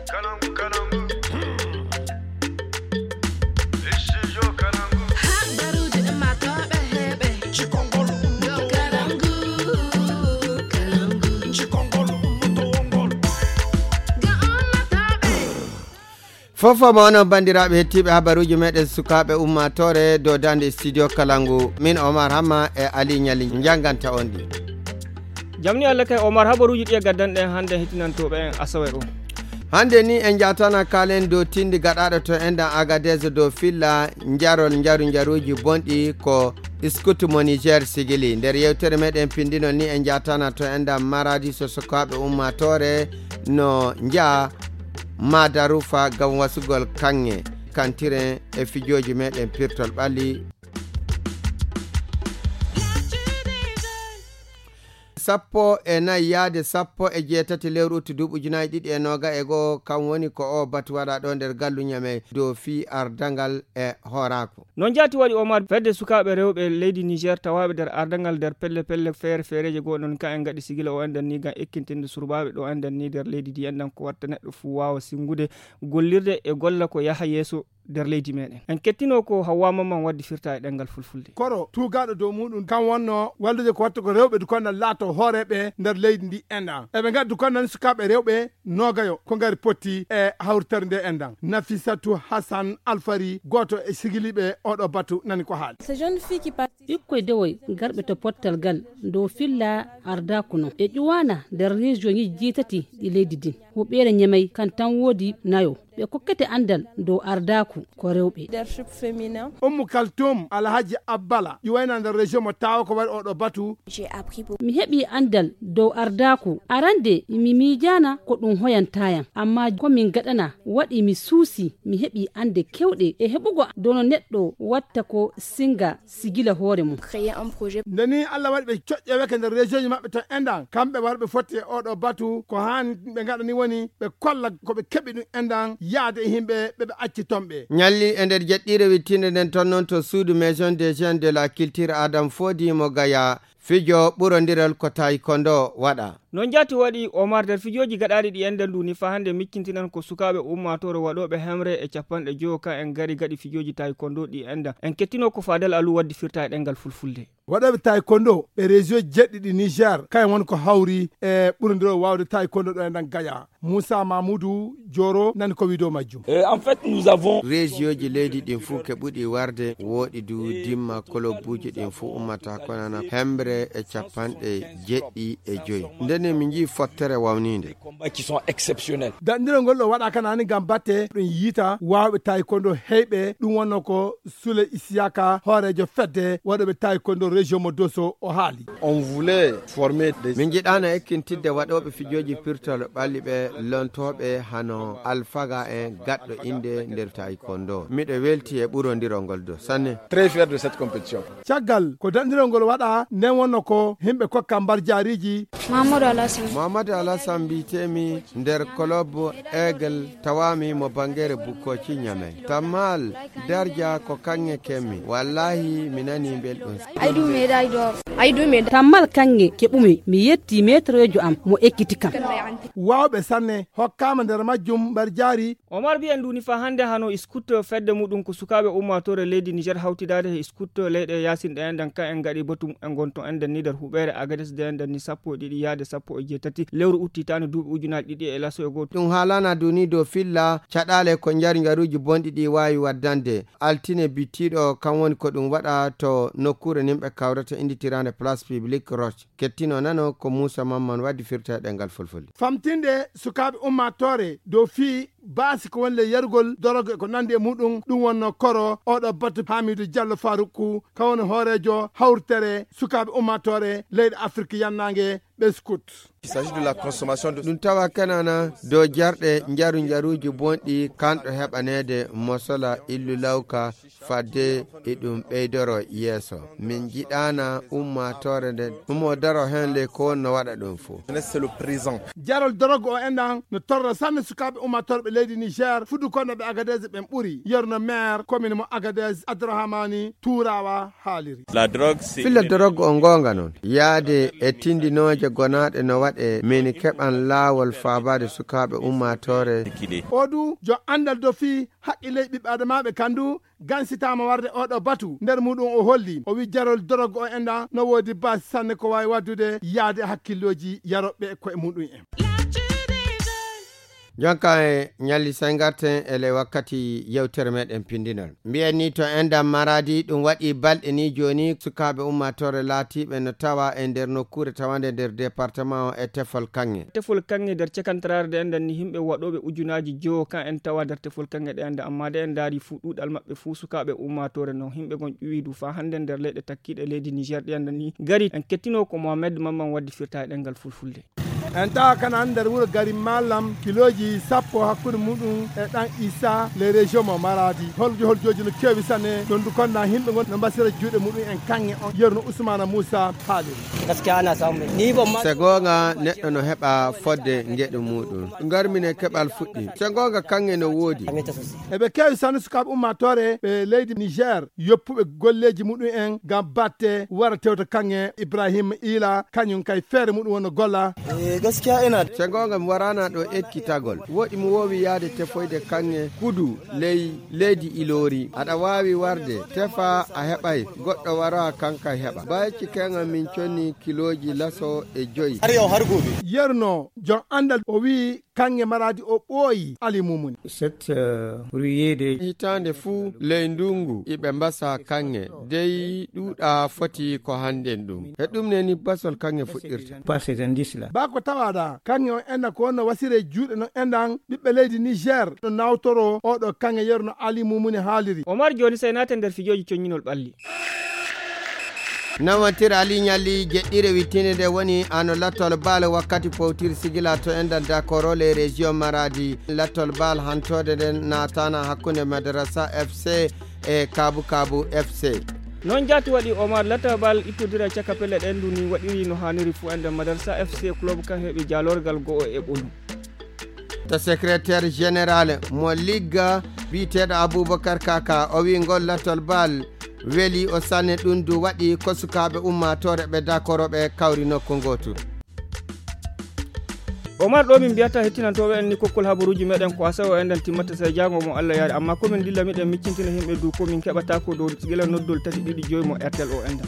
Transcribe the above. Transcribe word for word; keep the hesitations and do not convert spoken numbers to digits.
Kalangu, kalangu. Studio Kalangu. Habaruuji ummaatooɓe heɓe. Cikongol ummaatooɓe. Kalangu, kalangu. Cikongol ummaatooɓe. Ga ummaatooɓe. Fof mo onon banndiraaɓe hettiiɓe habaruuji meɗen sukaaɓe ummaatoore dow daande studio Kalangu. Min Omar Hamma e Ali Ñali njannganta on ɗi. Jamni Allah kay Omar, habaruuji ɗi e gaddanɗen hannde hetinantooɓe en asawe o. Hannde ni en njatana kaalen dow tindi gaɗaaɗo to enɗan Agadez dow filla njarol njaru njaruuji bonɗi ko Scout mo Niger sigili. Nder yewtere meɗen pindino ni en njatana to enɗan Maradi so sukaaɓe ummaatoore no njaha Madarufa ngam wasugol kaŋŋe kantiren e fijooji meɗen pirtol ɓalli. Sappo e nayi yaade sappo e jeetati lewru utti duuɓi ujunaaji ɗiɗi e nooga e goo, kam woni ko o batu waɗa ɗo nder gallu Ñamey dow fii ardangal e hooraaku. No njaati waɗi Omar fedde sukaaɓe rewɓe leydi Niger tawaaɓe nder ardangal nder pelle pelle feere feereeje goo ɗon ka en ngaɗi sigila o enɗan ni ngam ekkintinde surbaaɓe ɗo enɗan ni nder leydi ndi enɗan ko watta neɗɗo fuu waawa sinngude gollirde e golla ko yaha yeeso nder leydi meɗen. En kettino ko Hawwa Mamman waddi firta e ɗemngal fulfulde. Koro tuugaaɗo dow muɗum kan wonno wallude ko watta ko rewɓe dukonnan laato hooreeɓe nder leydi ndi enɗan. Eɓe ngaɗi dukonnan sukaaɓe rewɓe noogayo ko ngari potti e hawritere nde enɗan. Nafisatu Hassan Alfari, gooto e sigiliiɓe oɗo batu, nani ko haali. Ces jeunes filles qui participent. Ɓikkoy dewoy garɓe to pottal gal dow filla ardaaku non. Ɓe ƴuwaana nder région ŋiji jeetati ɗi leydi ndin. Huɓeere Ñamey kan tan woodi nayo. Ɓe kokkete anndal dow ardaaku ko rewɓe. Leadership féminin. Ummu Kaltum Alhaji Abbala ƴuwayna nder région mo tawa ko waɗi oɗo batu. J'ai appris beaucoup. Mi heɓi anndal dow ardaaku. Arande mi miijaana ko ɗum hoyanta yam. Amma ko min gaɗana waɗi mi suusi mi heɓi annde kewɗe e heɓugo dono neɗɗo watta ko singa sigila hoore mum. Créer un projet. Nde ni Allah waɗi ɓe coƴƴeweke nder région ji maɓɓe to enɗan, kamɓe warɓe fotti e oɗo batu, ko haani ɓe ngaɗani woni ɓe kolla ko ɓe keɓi ɗum enɗan yaade e yimɓe ɓe ɓe acci ton ɓe. Ñalli e nder jeɗɗiire wittiinde nden ton noon to suudu Maison des Jeunes de la Culture Adam Fodi mo Gaya, fijo ɓurondiral ko taekwondo waɗa. No njaati waɗi Omar nder fijooji gaɗaaɗi ɗi enɗan ndu ni fa hannde miccintinan ko sukaaɓe ummaatoore waɗooɓe hemre e capanɗe jowo ka en ngari gaɗi fijooji taekwondo ɗi enɗan. En kettino ko Fadel Alu waddi firta e ɗemngal fulfulde. Waɗooɓe taekwondo ɓe région jeɗɗi ɗi Niger, kayen woni ko hawri e ɓurondiral waawde taekwondo ɗo enɗan Gaya. Moussa Mamoudou Joro nani ko wi'o dow majjum. Euh, en fait, nous avons Région ji leydi ɗin fuu keɓuɗi warde, wooɗi du dimma kolobuuji ɗin fuu ummata ko nana hemre e capanɗe jeɗɗi e joyi. Ndenne mi njii fottere wawniinde. Combats qui sont exceptionnels. Daɗndirol ngol ɗo waɗa kanani ngam batte ɗum yiita waawɓe taekwondo heyɓe, ɗum wonno ko Sule Isiyaka, hooreejo fedde waɗooɓe taekwondo région mo Dosso, o haali. On voulait former des Min njiɗaano ekkintidde waɗooɓe fijooji pirtol ɓalli ɓe lontooɓe hano alfaga en gaɗɗo innde nder taekwondo. Miɗo welti e ɓurondirol ngol do sanne. Très fier de cette compétition. Caggal ko daɗndirol ngol waɗa nden wonno ko yimɓe kokka mbar jaariiji. Mamadou Alassane. Mamadou Alassane mbiyetee-mi nder club Aigle tawaami mo Bangere Bukkoci Ñamey. Tammal Darja ko kaŋŋe keɓmi. Wallahi mi nani belɗum. I do médaille d'or. I do médaille. Tammal kaŋŋe keɓumi, mi yetti maîtrejo am mo ekkiti kam. Waawɓe sanne hokkaama nder majjum mbar jaari. Omar Bi en nduni fa hannde hano scout fedde muɗum ko sukaaɓe ummaatoore leydi Niger hawtidaade e scout leyɗe yaasin ɗe enɗan ka en ngaɗi batu en gonto enɗan ni nder huɓeere Agades de enɗan ni sappo e ɗiɗi yaade sappo e jeetati lewru uttitaani duuɓi ujunaaji ɗiɗi e laso e gooto. Ɗum haalana duni dow filla caɗaale ko njaru njaruuji bonɗi ɗi waawi waddande. Altine bittiiɗo kan woni ko ɗum waɗa to nokkuure nimɓe kawrata innditiraande Place Publique Roche. Kettino nano ko Moussa Mamman waddi firta e ɗemngal fulfulde. Famtinde sukaaɓe ummaatoore dow fii baasi ko woni le yarugol doroge ko nandi e muɗum, ɗum wonno koro oɗo batu Hamidou Diallo Faroukou, ka woni hooreejo hawritere sukaaɓe ummaatoore leyɗe Afrik yannaange ɓe scout. Il s'agit de la consommation de Ɗum tawa kanana dow jarɗe njaru njaruuji bonɗi kanɗo heɓaneede mosola illu lawka fadde e ɗum ɓeydoro yeeso. Min njiɗaana ummaatoore nden umo daro heen ley ko wonno waɗa ɗum fof. Jeunesse, c'est le présent. Jarol doroge o enɗan no torra sanne sukaaɓe ummaatoore ɓe leydi Niger, fudu konnoɓe Agadez ɓen ɓuri. Yerno maire commune mo Agadez, Abdourahmani Turawa, haaliri. Filla dorog on goonga noon. Yaade e tindinooje gonaaɗe no waɗe, min keɓan laawol faabaade sukaaɓe ummaatoore. O du, jo anndal do fii haqqille ɓiɓɓe adamaaɓe kan du, gansitaama warde oɗo batu. Nder muɗum o holli, o wi jarol dorog o enɗan no woodi baasi sanne ko waawi waddude yaade hakkillooji yaroɓe koye muɗum en. Jonka e ñalli say ngarten e ley wakkati yewtere meɗen pindinol. Mbiyen ni to enɗan Maradi, ɗum waɗi balɗe ni jooni sukaaɓe ummaatoore laatiiɓe no tawa e nder nokkuure tawande nder département o e tefol kaŋŋe. Tefol kaŋŋe nder cakantaraare de enɗan ni himɓe waɗooɓe ujunaaji jowo kan en tawa nder tefol kaŋŋe de enɗan, amma de en ndaari fuu ɗuuɗal maɓɓe fuu sukaaɓe ummaatoore non himɓe gon ƴuwi du faa hannde nder leyɗe takkiiɗe leydi Niger de enɗan ni gari en kettino ko Mohamed Mamman waddi firta e ɗemngal fulfulde. En tawa kanan nder wuro Gari Malam kilooji sappo hakkunde muɗum e ɗan Issa les régions mo Maradi. Holjo holjoji no kewi sanne, ɗon du konna himɓe gon no mbasira juuɗe muɗum en kaŋŋe on. Yerno Ousmane Moussa haaliri. Gaskiya ana samu. Ni ban ma Se goonga neɗɗo no heɓa fodde ngeɗu muɗum. Ngarmin e keɓal fuɗɗi. Se goonga kaŋŋe no woodi. Eɓe kewi sanne sukaaɓe ummaatoore ɓe leydi Niger yoppuɓe golleji muɗum en ngam batte wara tewta kaŋŋe Ibrahim Ila kañum kay feere muɗum wonno golla. Eh, gaskiya ina Se goonga mi waraana ɗo ekkitagol. Woɗi mi woowi yaade tefoyde kaŋŋe kudu ley leydi Ilori. Aɗa waawi warde, tefa a heɓay, goɗɗo wara kanka heɓa. Bayci keŋa min conni kilooji laso e joyi. Har yau har gobe. Yerno, jon anndal o wi kaŋŋe Maradi o ɓooyi Ali Mumuni. Cette, euh, ruée de Hitaande fuu ley ndungu iɓe mbasa kaŋŋe, dey ɗuuɗa foti ko hannden ɗum. E ɗum ne ni basol kaŋŋe fuɗɗirta. Pas ces indices-là. Ba ko tawaɗa, kaŋŋe on enɗan ko wonno wasire juuɗe non enɗan ɓiɓɓe leydi Niger no nawtoro oɗo kaŋŋe yerno Ali Mumuni haaliri. Omar jooni sey naate nder fijooji coññinol ɓalli. Nawantir Ali Ñalli jeɗɗire wittinde nde woni ano lattol baal wakkati powtir sigila to enɗan dakoro les régions Maradi. Lattol baal hantode nden naatana hakkunde Madrasa F C e Kabu Kabu F C. Noon jaati waɗi Omar lattol baal ittodira caka pelle ɗen duni waɗiri no haaniri fuu enɗan Madrasa F C club kan heɓi jaalorgal go'o e ɓolu. To secrétaire général mo ligga biyeteeɗo Aboubacar Kaka, o wi ngol lattol baal weli o sanne ɗum du waɗi ko sukaaɓe ummaatoore ɓe dakoro ɓe kawri nokku ngootu. Omar ɗo min mbiyata hettinantooɓe en ni kokkol habaruuji meɗen ko asawe o enɗan timmata sey jaango mo Allah yaari, amma ko min dilla miɗen miccintina himɓe du ko min keɓata ko dow gila noddol tati ɗiɗi joyi mo R T L o enɗan.